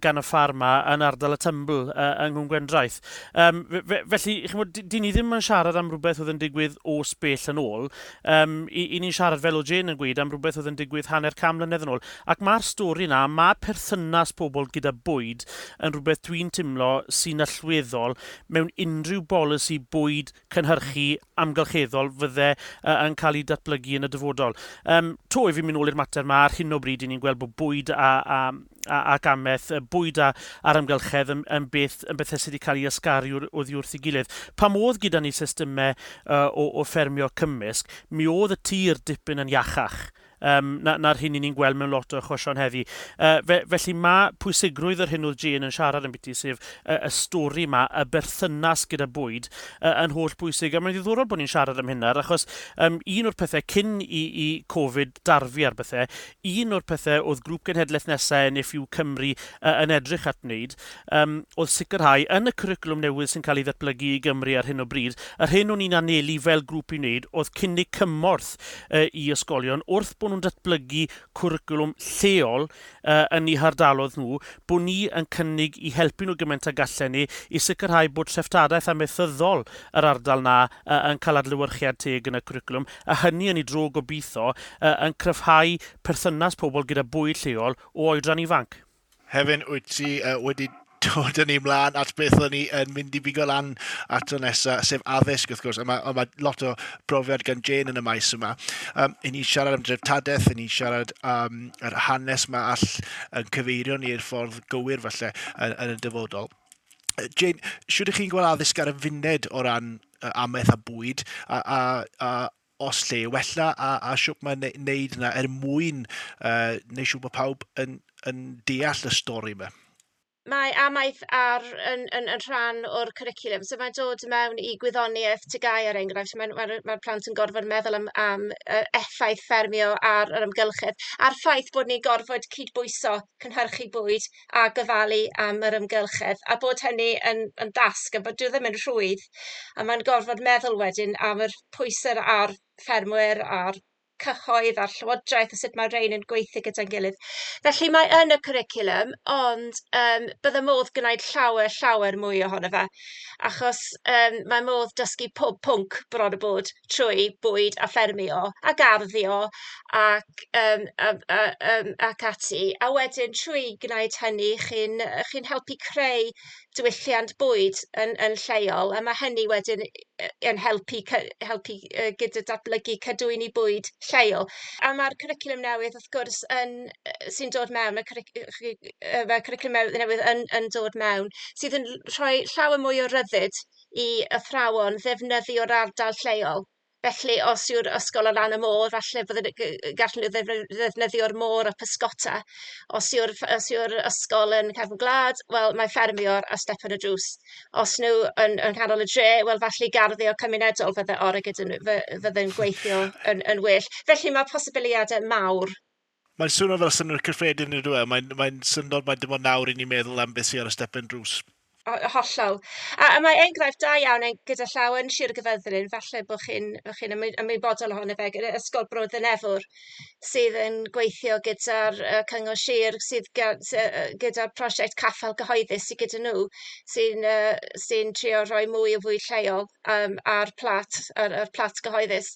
gan y ffarma yn ardal y Tymbl yng Nghwm Gwendraeth. Felly, chimod, dyn ni ddim yn siarad am rhywbeth oedd yn digwydd o sbell yn ôl. I ni'n siarad, fel o Jane yn gweud, am rhywbeth oedd yn digwydd 50 mlynedd yn ôl. Ac mae'r stori na, mae perthynas pobl gyda bwyd yn rhywbeth dwi'n teimlo sy'n allweddol mewn unrhyw bolisi bwyd cynhyrchu amgylcheddol fydde yn cael ei datblygu yn y dyfodol. To i fi mynd nôl i'r mater yma, ar hyn o bryd i ni'n gweld bod bwyd ac amaeth, bwyd a'r amgylchedd yn bethau sydd wedi cael ei ysgaru oddi wrth ei gilydd. Pam oedd gyda ni systemau o ffermio cymysg, mi oedd y tir dipyn yn iachach na'r hyn i ni'n gweld mewn lot o achosion heddi. Felly mae pwysigrwydd yr hyn oedd Jane yn siarad yn biti, sef y stori yma, y berthynas gyda bwyd, yn holl bwysig. A mae'n ddiddorol bod ni'n siarad am hynna, achos un o'r pethau cyn i Covid darfu ar bethau, un o'r pethau oedd grŵp genhedlaeth nesaf NFU Cymru yn edrych at wneud, oedd sicrhau yn y cwricwlwm newydd sy'n cael ei ddatblygu i Gymru ar hyn o bryd, yr hyn o'n i'n anelu fel grŵp i wneud oedd cynnig cymorth i ysgolion wrth bod nhw'n datblygu cwricwlwm lleol yn eu hardaloedd nhw, bod ni yn cynnig i helpu nhw gymaint â gallen ni i sicrhau bod treftadaeth amaethyddol yr ardal na yn cael adlewyrchiad teg yn y cwricwlwm, a hynny yn ei dro gobeithio yn cryfhau perthynas pobl gyda bwyd lleol o oedran ifanc. Hefin, wyt ti wedi dod â ni ymlaen at beth o'n ni yn mynd i bigo lan ato nesaf, sef addysg wrth gwrs. A mae lot o brofiad gan Jane yn y maes yma. I ni siarad am dreftadaeth, i ni siarad am yr hanes yma all yn cyfeirio ni i'r ffordd gywir falle yn y dyfodol. Jane, shwd ych chi'n gweld addysg ar y funud o ran amaeth a bwyd, a os lle wella, a shwt mae'n neud yna er mwyn neud siŵr bod pawb yn deall y stori yma? Mae amaeth yn rhan o'r cwricwlwm, so mae'n dod mewn i gwyddoniaeth TGAU er enghraifft. Mae'r plant yn gorfod meddwl am effaith ffermio ar yr amgylchedd, a'r ffaith bod ni'n gorfod cydbwyso cynhyrchu bwyd a gofalu am yr amgylchedd, a bod hynny yn dasg, a bod dyw e ddim yn rhwydd, a mae'n gorfod meddwl wedyn am yr pwysau ar ffermwyr, a'r cyhoedd a'r llywodraeth, a sut mae rhain yn gweithio gyda'n gilydd. Felly mae yn y cwricwlwm, ond bydde modd gwneud llawer, llawer mwy ohono fe, achos mae modd dysgu pob pwnc bron o bod trwy bwyd a ffermio a garddio ac ati. A wedyn trwy gwneud hynny, chi'n helpu creu diwylliant bwyd yn lleol, a mae hynny wedyn yn helpu gyda datblygu cadwyni bwyd lleol. A mae'r cwricwlwm newydd wrth gwrs yn, sy'n dod mewn, mae cwricwlwm newydd yn dod mewn, sydd yn rhoi llawer mwy o ryddid i athrawon ddefnyddio'r ardal lleol. Felly, os yw'r ysgol ar lan y môr, falle bydden gallen nhw ddefnyddio'r môr a pysgota. Os yw'r ysgol yn cefn gwlad, wel, mae ffermio ar stepen y drws. Os nhw yn canol y dre, wel, falle garddio cymunedol fydde orau gyda nhw, fydde'n gweithio yn well. Felly mae posibiliadau mawr. Mae'n swnio fel synnwyr cyffredin yn dweud. Mae'n syndod mae dim ond nawr i ni meddwl am beth sydd ar y stepen drws. Hollol. A mae enghraifft da iawn gyda llaw yn Sir Gaerfyrddin, falle bod chi'n ymwybodol ohono fe, gyda Ysgol Bro Ddynefwr, sydd yn gweithio gyda'r Cyngor Sir, sydd gyda'r prosiect Caffael Cyhoeddus sydd gyda nhw, sy trio rhoi mwy o fwyd lleol ar plat gyhoeddus.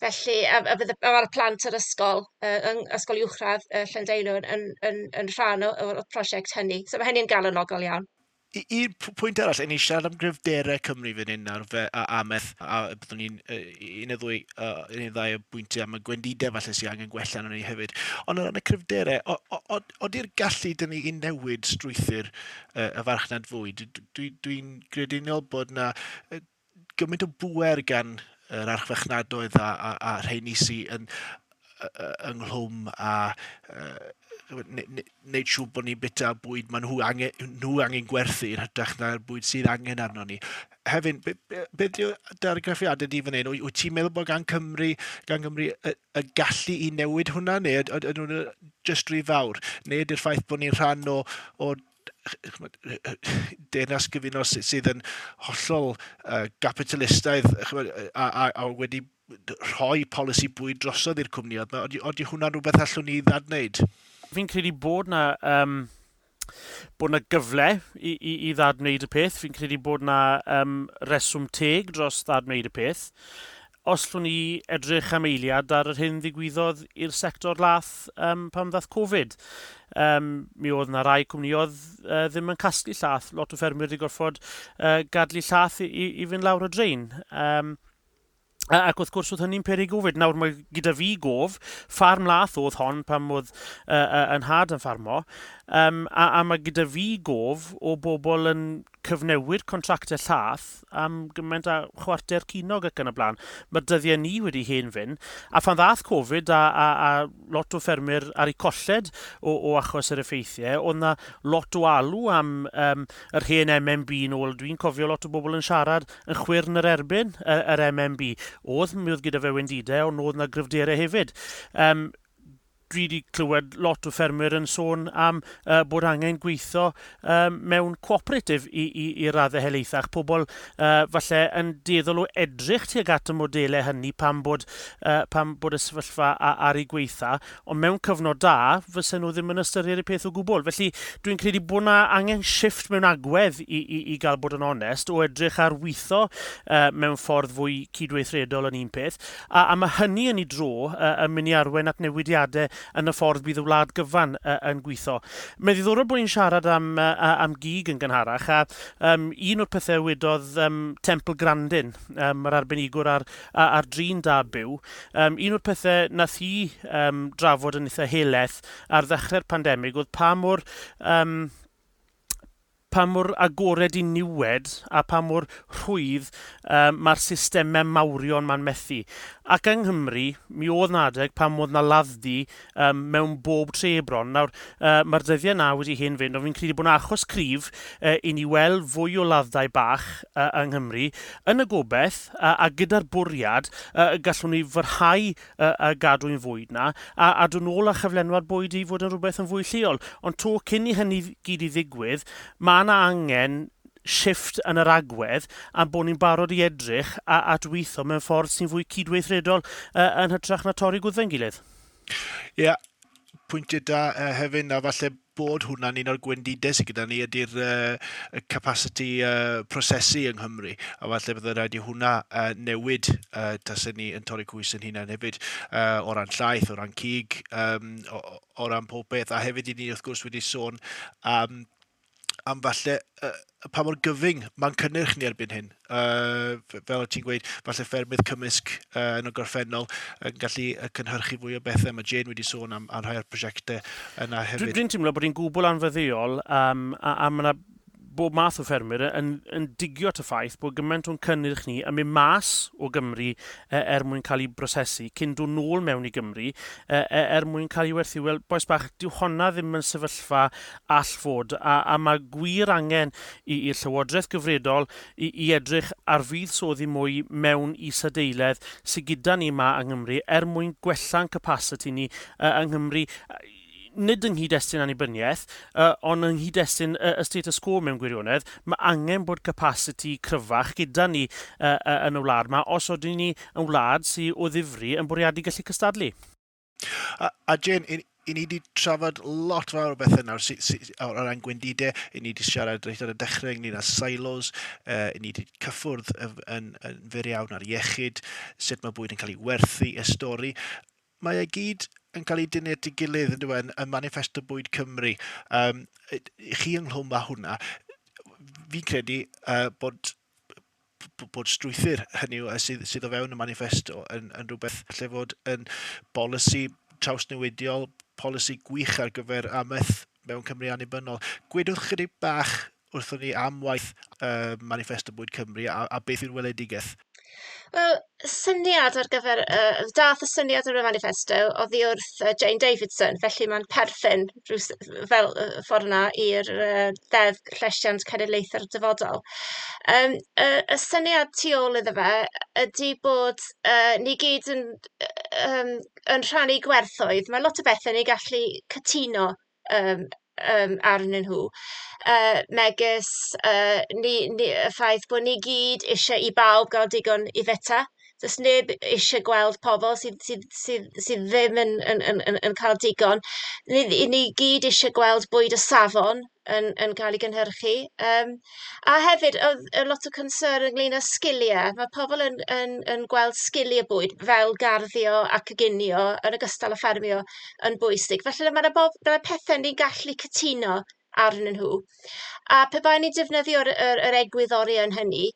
Felly, a fydde, a mae'r plant yr ysgol, yn ysgol uwchradd Llandeilo yn rhan o'r prosiect hynny. So mae hynny'n galonogol iawn. Un pwynt arall, ni siarad am gryfderau Cymru fan hyn nawr, fe, a amaeth, a byddwn ni'n un neu ddwy, un neu ddau o bwyntiau am y gwendidau falle sydd angen gwella arnon ni hefyd. Ond o ran y cryfderau, ody'r gallu dyn ni i newid strwythur y farchnad fwyd? Dwi'n grediniol bod na gymaint o bŵer gan yr archfarchnadoedd a rheini sydd yn ynghlwm a wneud siŵr bod ni'n bita bwyd maen nhw angen gwerthu yn hytrach na'r bwyd sydd angen arno ni. Hefyd, beth yw dy argraffiadau di fan hyn? Wyt ti'n meddwl bod gan Gymru y gallu i newid hwnna, neu ydyn nhw'n jyst rhy fawr? Neu ydy'r ffaith bod ni'n rhan o Deyrnas Gyfunol sydd yn hollol gapitalistaidd a wedi rhoi polisi bwyd drosodd i'r cwmnïoedd 'ma? Ydy hwnna'n rhywbeth allwn ni ddadwneud? Fi'n credu bod 'na gyfle i ddadwneud y peth. Fi'n credu bod 'na reswm teg dros ddadwneud y peth. Os llwn ni edrych am eiliad ar yr hyn ddigwyddodd i'r sector lath pan ddath Covid. Mi oedd yna rai cwmnïoedd ddim yn casglu llath. Lot o ffermwyr wedi gorfod gadlu llath i fynd lawr y drain. Ac wrth gwrs oedd hynny'n peri gofid. Nawr mae gyda fi gof, ffarm lath oedd hon pan oedd yn nhad yn ffarmo, a mae gyda fi gof o bobl yn cyfnewid contractau llath am gymaint a chwarter ceiniog ac yn y blaen. Mae'r dyddiau ni wedi hen fynd. A phan ddath Covid a lot o ffermwyr ar eu colled o achos yr effeithiau, oedd yna lot o alw am yr hen MMB nôl. Dwi'n cofio lot o bobl yn siarad yn chwyrn yr erbyn yr MMB. Mi oedd gyda fe wendidau, ond oedd yna gryfderau hefyd. Dwi wedi clywed lot o ffermwyr yn sôn am bod angen gweithio mewn cooperative i raddau helaethach. Pobl falle yn dueddol o edrych tuag at y modelau hynny pan bod y sefyllfa ar ei gweitha, ond mewn cyfnod da, fysen nhw ddim yn ystyried y peth o gwbl. Felly dwi'n credu bod yna angen shift mewn agwedd i gael bod yn onest, o edrych ar weithio mewn ffordd fwy cydweithredol yn un peth, a mae hynny yn ei dro yn mynd i arwain at newidiadau yn y ffordd bydd y wlad gyfan yn gweithio. Mae'n ddiddorol bod ni'n siarad am gig yn gynharach, a un o'r pethau wedodd Temple Grandin, yr arbenigwr ar drin da byw, un o'r pethau nath hi drafod yn eitha helaeth ar ddechrau'r pandemig oedd pa mor agored i niwed a pa mor rhwydd mae'r systemau mawrion ma'n methu. Ac yng Nghymru, mi oedd 'na adeg pan oedd 'na ladd-dy mewn bob tre bron. Nawr, mae'r dyddiau na wedi hen fynd, ond fi'n credu bod 'na achos cryf i ni weld fwy o ladd-dai bach yng Nghymru, yn y gobeith a gyda'r bwriad gallwn ni fyrhau y gadwyn fwyd na a dod nôl â chyflenwad bwyd i fod yn rhywbeth yn fwy lleol. Ond to, cyn i hynny gyd i ddigwydd, mae yna angen shift yn yr agwedd a bod ni'n barod i edrych at weithio mewn ffordd sy'n fwy cydweithredol yn hytrach na torri gwddfau'n gilydd. Ie, yeah, pwyntiau da hefyd, a falle bod hwnna'n un o'r gwendidau sydd gyda ni ydy'r capacity prosesu yng Nghymru. A falle bydde rhaid i hwnna newid tasen ni yn torri cwys yn hunain hefyd, o ran llaeth, o ran cig, o ran pob beth. A hefyd i ni wrth gwrs wedi sôn am falle pa mor gyfyng mae'n cynnyrch ni erbyn hyn. Fel ti'n gweud, falle ffermydd cymysg yn y gorffennol yn gallu cynhyrchu fwy o bethau. Mae Jane wedi sôn am rhai o'r prosiectau yna hefyd. Dwi'n teimlo bod hi'n gwbl anfuddiol a mae yna bob math o ffermwyr yn digio at y ffaith bod gymaint o'n cynnyrch ni yn mynd mas o Gymru er mwyn cael ei brosesu cyn dod nôl mewn i Gymru er mwyn cael ei werthu. Wel, bois bach, dyw honna ddim yn sefyllfa all fod a mae gwir angen i'r llywodraeth gyfredol i edrych ar fuddsoddi mwy mewn isadeiledd sydd gyda ni yma yng Nghymru er mwyn gwella'n capacity ni yng Nghymru, nid yng nghyd-destun annibyniaeth, ond yng nghyd-destun y status quo mewn gwirionedd. Mae angen bod capacity cryfach gyda ni yn y wlad yma, os ydyn ni yn wlad sydd o ddifri yn bwriadu gallu cystadlu. A Jane, i ni wedi trafod lot fawr o bethau nawr sy o ran gwendidau. I ni wedi siarad reit ar y dechrau ynglyn â silos, i ni wedi cyffwrdd yn fyr iawn ar iechyd, sut mae bwyd yn cael ei werthu, y stori. Mae e gyd yn cael ei dynnu at ei gilydd yn dweud yn Manifesto Bwyd Cymru. Chi ynghlwm â hwnna, fi'n credu bod strwythur hynny yw, sydd o fewn y manifesto yn rhywbeth lle fod yn bolisi trawsnewidiol, polisi gwych ar gyfer amaeth mewn Cymru annibynnol. Gwedwch chydig bach wrthon ni am waith Manifesto Bwyd Cymru a beth yw'r weledigaeth. Wel, syniad ar gyfer, dath y syniad ar y manifesto oddi wrth Jane Davidson, felly mae'n perthyn fel ffordd yna i'r Ddeddf Llesiant Cenedlaethau'r Dyfodol. Y syniad tu ôl iddo fe ydy bod ni gyd yn rhannu gwerthoedd. Mae lot o bethau ni gallu cytuno arnyn nhw. Megis y ffaith bod ni gyd eisiau i bawb gael digon i fwyta. Does neb eisiau gweld pobl sydd ddim yn cael digon. Ni gyd eisiau gweld bwyd o safon yn cael ei gynhyrchu. A hefyd, oedd lot o concern ynglyn â sgiliau. Mae pobl yn gweld sgiliau bwyd fel garddio a coginio yn ogystal â ffermio yn bwysig. Felly mae yna pethau ni'n gallu cytuno arnyn nhw. A pe bai ni'n defnyddio'r yr egwyddorion hynny,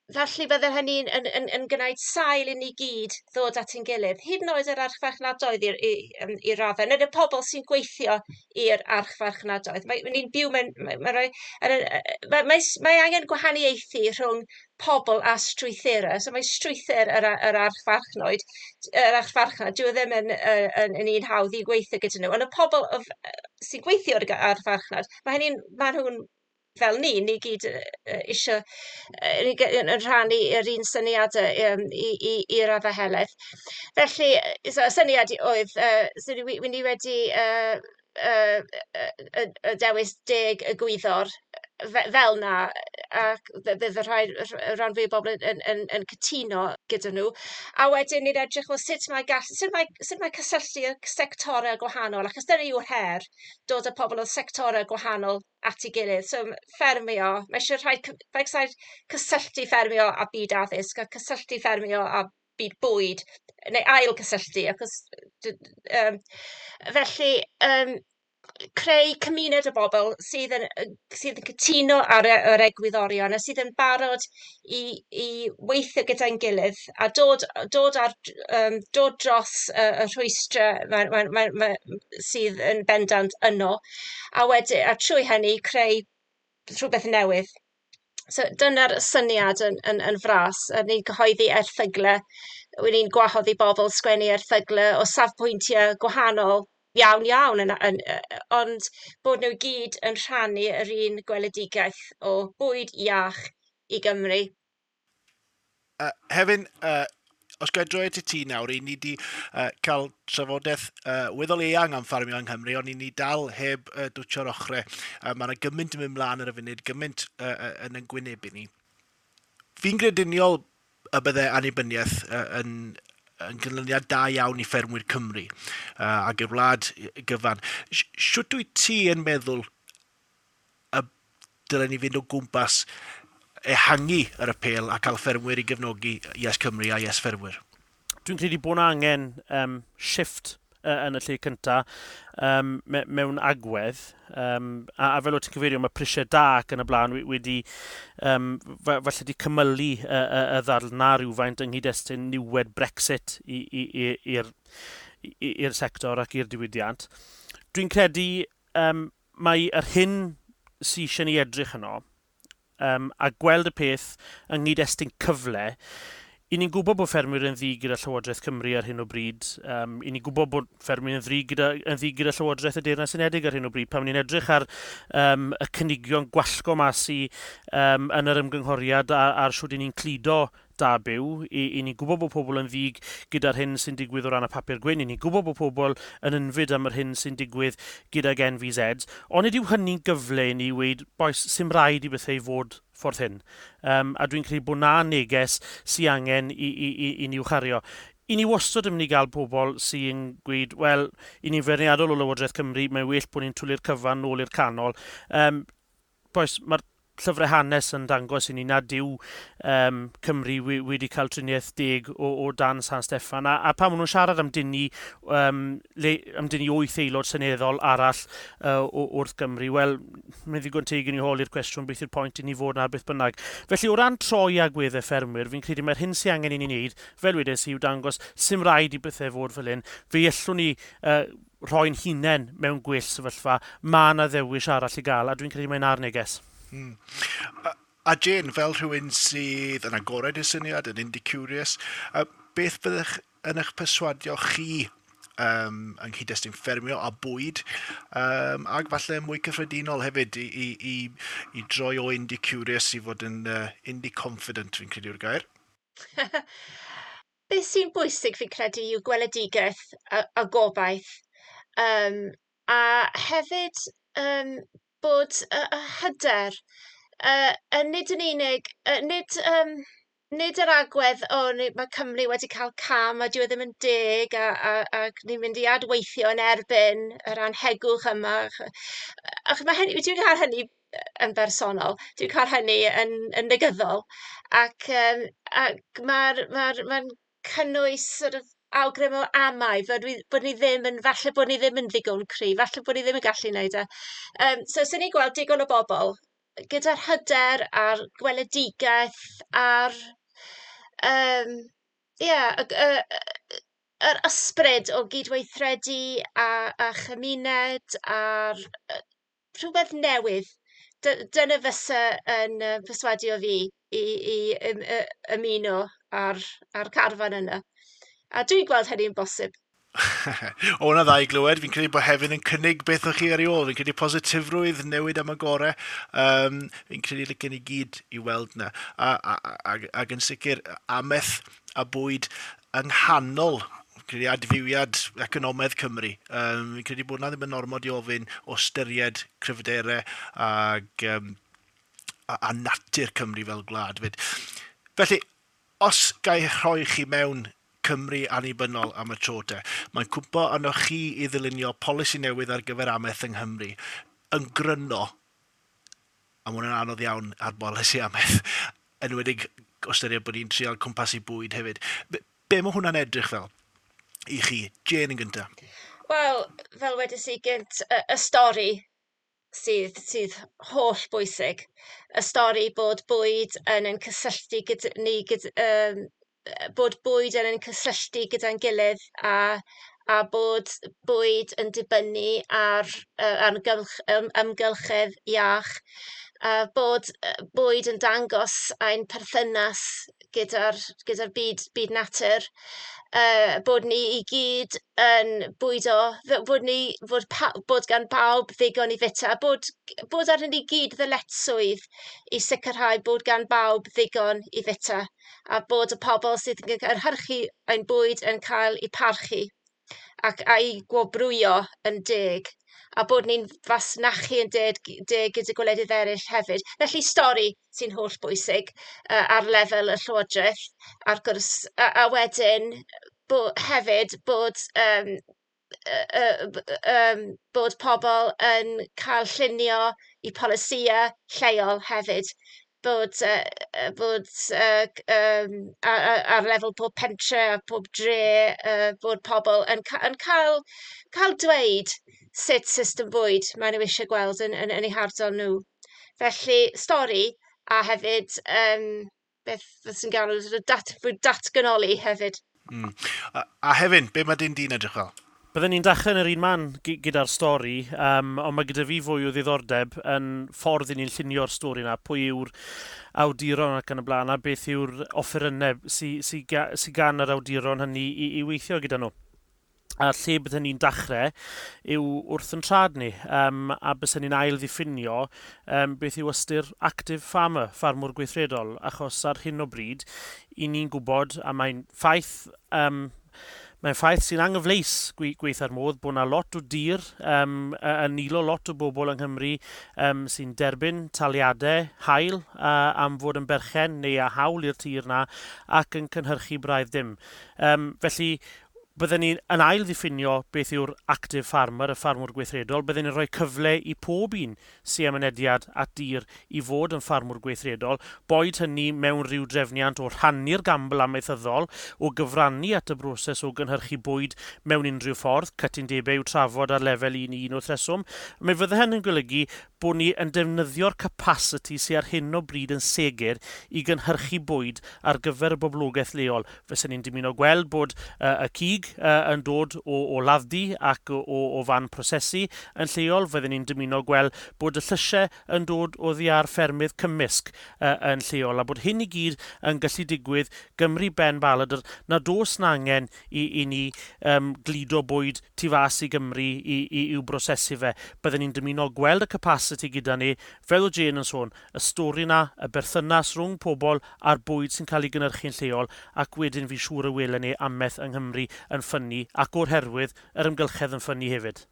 felly bydde hynny'n yn gwneud sail i ni gyd ddod at ein gilydd, hyd yn oed yr archfarchnadoedd i raddau, neu'r pobl sy'n gweithio i'r archfarchnadoedd. Mae, ni'n byw mewn... Mae, mae, rhoi, mae, mae, mae angen gwahaniaethu rhwng pobl a strwythurau. So mae strwythur yr archfarchnoed, yr archfarchnad, dyw e ddim yn un hawdd i gweithio gyda nhw. Ond y pobl sy'n gweithio ar archfarchnad, mae nhw'n fel ni gyd eisiau yn rhannu yr un syniadau i raddau helaeth. Felly, so, y syniad oedd, so ni wedi y dewis 10 egwyddor fel na, ac bydd y rhan fwy o bobl yn cytuno gyda nhw. A wedyn ni'n edrych, wel, sut mae cysylltu y sectorau gwahanol, achos dyna yw'r her, dod â pobl o sectorau gwahanol at ei gilydd. So ffermio, mae eisiau rhaid cysylltu ffermio a byd addysg, a cysylltu ffermio a byd bwyd, neu ail cysylltu, achos felly creu cymuned o bobl sydd yn cytuno ar yr egwyddorion a sydd yn barod i weithio gyda'n gilydd a dod dros y rhwystrau sydd yn bendant yno, a trwy hynny creu rhywbeth newydd. So dyna'r syniad yn fras. A ni'n cyhoeddi erthyglau, ni'n gwahodd i bobl sgwennu erthyglau o safbwyntiau gwahanol iawn iawn, ond bod nhw gyd yn rhannu yr un gweledigaeth o bwyd iach i Gymru. Hefin, os ga i droi at ti nawr, i ni wedi cael trafodaeth weddol eang am ffarmio yng Nghymru, ond i ni dal heb dwtsio'r ochrau. Mae yna gymaint yn mynd mlaen ar y funud, gymaint yn ein gwynebu ni. Fi'n grediniol y bydde annibyniaeth yn ganlyniad da iawn i ffermwyr Cymru ac i'r wlad gyfan. Siwt wyt ti yn meddwl y dylen ni fynd o gwmpas ehangu yr apêl a cael ffermwyr i gefnogi Yes Cymru a Yes Ffermwyr? Dwi'n credu bod yna angen shift yn y lle cyntaf mewn agwedd. A fel o ti'n cyfeirio, mae prisiau da ac yn y blaen wedi falle wedi cymylu y ddadl na rhywfaint yng nghyd-destun niwed Brexit i'r sector ac i'r diwydiant. Dwi'n credu mae yr hyn sydd eisiau ni edrych yno a gweld y peth yng nghyd-destun cyfle. I ni'n gwybod bod ffermwyr yn ddig gyda Llywodraeth Cymru ar hyn o bryd. I ni'n gwybod bod ffermwyr yn ddig gyda Llywodraeth y Deyrnas Unedig ar hyn o bryd. Pan ni'n edrych ar y cynigion gwallgo mas i yn yr ymgynghoriad ar siwt i ni'n cludo da byw. I ni'n gwybod bod pobl yn ddig gyda'r hyn sy'n digwydd o ran y papur gwyn. I ni'n gwybod bod pobl yn ynfyd am yr hyn sy'n digwydd gydag NVZ. Ond nid yw hynny'n gyfle i ni weud, bois, sy'm rhaid i bethau fod ffordd hyn. A dwi'n credu bod na neges sy'n angen i ni chario. I ni wastad yn mynd i gael pobl sy'n gweud, wel, i ni'n feirniadol o Lywodraeth Cymru, mae'n well bod ni'n twlu'r cyfan nôl i'r canol. Bois, mae'r llyfrau hanes yn dangos i ni nad yw Cymru wedi cael triniaeth deg o dan San Steffan. A pan maen nhw'n siarad am dynnu 8 aelod seneddol arall wrth Gymru, wel, mae'n ddigon teg i ni holi'r cwestiwn beth yw'r pwynt i ni fod na beth bynnag. Felly, o ran troi agweddau ffermwyr, fi'n credu mae'r hyn sy'n angen i ni wneud, fel wedes i, yw dangos sy'm rhaid i bethau fod fel hyn. Fe allwn ni rhoi'n hunain mewn gwell sefyllfa. Mae yna ddewis arall i gael, a dwi'n credu mae'n ar neges. A Jane, fel rhywun sydd yn agored i'r syniad, yn indie curious, beth fyddech yn eich perswadio chi yng nghyd-destun ffermio a bwyd, ac falle mwy cyffredinol hefyd i droi o indie curious i fod yn indie confident, fi'n credu yw'r gair? Beth sy'n bwysig fi'n credu yw gweledigaeth a gobaith. A hefyd bod y hyder, nid yn unig, nid yr agwedd o mae Cymru wedi cael cam a dyw e ddim yn deg ac ni'n mynd i adweithio yn erbyn yr anhegwch yma. Ac mae hynny, dwi'n cael hynny yn bersonol, dwi'n cael hynny yn negyddol ac mae'n cynnwys sort of awgrym o amau bod ni ddim yn, falle bod ni ddim yn ddigon cryf, falle bod ni ddim yn gallu wneud e. So, swn i'n gweld digon o bobl gyda'r hyder a'r gweledigaeth a'r yeah, yr ysbryd o gydweithredu a chymuned a'r rhywbeth newydd. Dyna fysa yn perswadio fi i ymuno ar carfan yna. A dwi'n gweld hynny'n bosib. O, hwnna dda i glywed. Fi'n credu bod hefyd yn cynnig beth o'ch chi ar ei ôl. Fi'n credu positifrwydd, newid am y gore. Fi'n credu licen i gyd i weld na. Ac yn sicr, ameth a bwyd yng nghanol credu adfywiad economaidd Cymru. Fi'n credu bod na ddim yn ormod i ofyn o ystyried cryfderau a natur Cymru fel gwlad. Fyd. Felly, os gai rhoi chi mewn Cymru annibynnol am y tro te, mae'n cwmpo arnoch chi i ddylunio polisi newydd ar gyfer amaeth yng Nghymru. Yn gryno, a mae hwnna'n anodd iawn ar bolisi amaeth, enwedig o ystyried bod ni'n trial cwmpasu bwyd hefyd. Be mae hwnna'n edrych fel i chi? Jane yn gyntaf. Wel, fel wedes i gynt, y stori sydd holl bwysig. Y stori bod bwyd yn ein cysylltu gyda ni, bod bwyd yn ein cysylltu gyda'n gilydd a bod bwyd yn dibynnu ar amgylchedd iach, a bod bwyd yn dangos ein perthynas gyda'r byd natur, bod ni i gyd yn bwydo, bod gan bawb ddigon i fita, bod arnyn ni gyd ddyletswydd i sicrhau bod gan bawb ddigon i fita, a bod y pobl sydd yn cynhyrchu ein bwyd yn cael eu parchu ac a'i gwobrwyo yn deg, a bod ni'n fasnachu yn deg gyda gwledydd eraill hefyd. Felly stori sy'n holl bwysig ar lefel y llywodraeth, a'r gwrs, a wedyn hefyd bod pobl yn cael llunio i polisïau lleol hefyd. Bod ar lefel pob pentre a pob dre, bod pobl yn cael dweud sut system bwyd maen nhw eisiau gweld yn eu hardal nhw. Felly, stori a hefyd beth sy'n galw datganoli hefyd. Mm. A hefyd, be mae dyn di'n edrych fel? Byddwn ni'n dechrau yn yr un man gyda'r stori, ond mae gyda fi fwy o ddiddordeb yn ffordd i ni'n llunio'r stori yna, pwy yw'r awduron ac yn y blaen, a beth yw'r offerynnau sy gan yr awduron hynny i weithio gyda nhw. A lle byddwn ni'n dechrau yw wrth yn trad ni, a byswn ni'n ail ddiffinio beth yw ystyr active farmer, ffarmwr gweithredol, achos ar hyn o bryd, i ni'n gwybod, a mae'n ffaith... Mae'n ffaith sy'n anghyfleus gweitha'r modd bod yna lot o dir yn nilo lot o bobl yng Nghymru sy'n derbyn taliadau hael am fod yn berchen neu a hawl i'r tir na ac yn cynhyrchu braidd dim. Felly, byddwn ni yn ail ddiffinio beth yw'r active farmer, y ffarmwr gweithredol. Byddwn ni'n rhoi cyfle i pob un sy'n â mynediad at dir i fod yn ffarmwr gweithredol, boed hynny mewn rhyw drefniant o rhannu'r gambl amaethyddol, o gyfrannu at y broses o gynhyrchu bwyd mewn unrhyw ffordd, cytundebau i'w trafod ar lefel 1 i 1 wrth reswm. Mae fydde hynny'n golygu bod ni yn defnyddio'r capacity sydd ar hyn o bryd yn segur i gynhyrchu bwyd ar gyfer y boblogaeth leol. Fysen ni'n dymuno gweld bod y cig cig yn dod o ladd-dy ac o fan prosesu yn lleol. Fydden ni'n dymuno gweld bod y llysiau yn dod oddi ar ffermydd cymysg yn lleol, a bod hyn i gyd yn gallu digwydd Gymru ben baladr, na dos na angen i ni gludo bwyd tu fas i Gymru i'w brosesu fe. Bydden ni'n dymuno gweld y capacity gyda ni, fel o Jane yn sôn, y stori na, y berthynas rhwng pobl a'r bwyd sy'n cael ei gynhyrchu'n lleol, ac wedyn fi siŵr y welen ni amaeth yng Nghymru yn ffynnu, ac o'r herwydd yr amgylchedd yn ffynnu hefyd.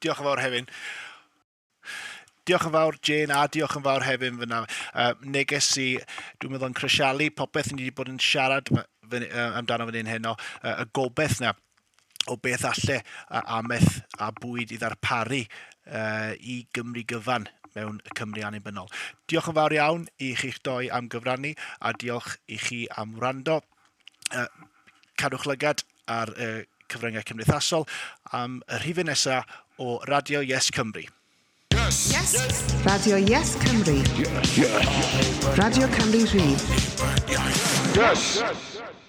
Diolch yn fawr, Hefin. Diolch yn fawr, Jane, a diolch yn fawr Hefin fyna. Neges i, dwi'n meddwl, yn crisialu popeth ni wedi bod yn siarad amdano fan hyn heno, y gobeith na o beth alle amaeth a bwyd i ddarparu i Gymru gyfan mewn Cymru annibynnol. Diolch yn fawr iawn i chi'ch doi am gyfrannu a diolch i chi am wrando. Cadwch lygad ar cyfryngau cymdeithasol am y rhifyn nesaf o Radio Yes Cymru. Yes. Yes. Radio Yes Cymru. Yes. Radio Cymru Rhydd. Yes. Yes.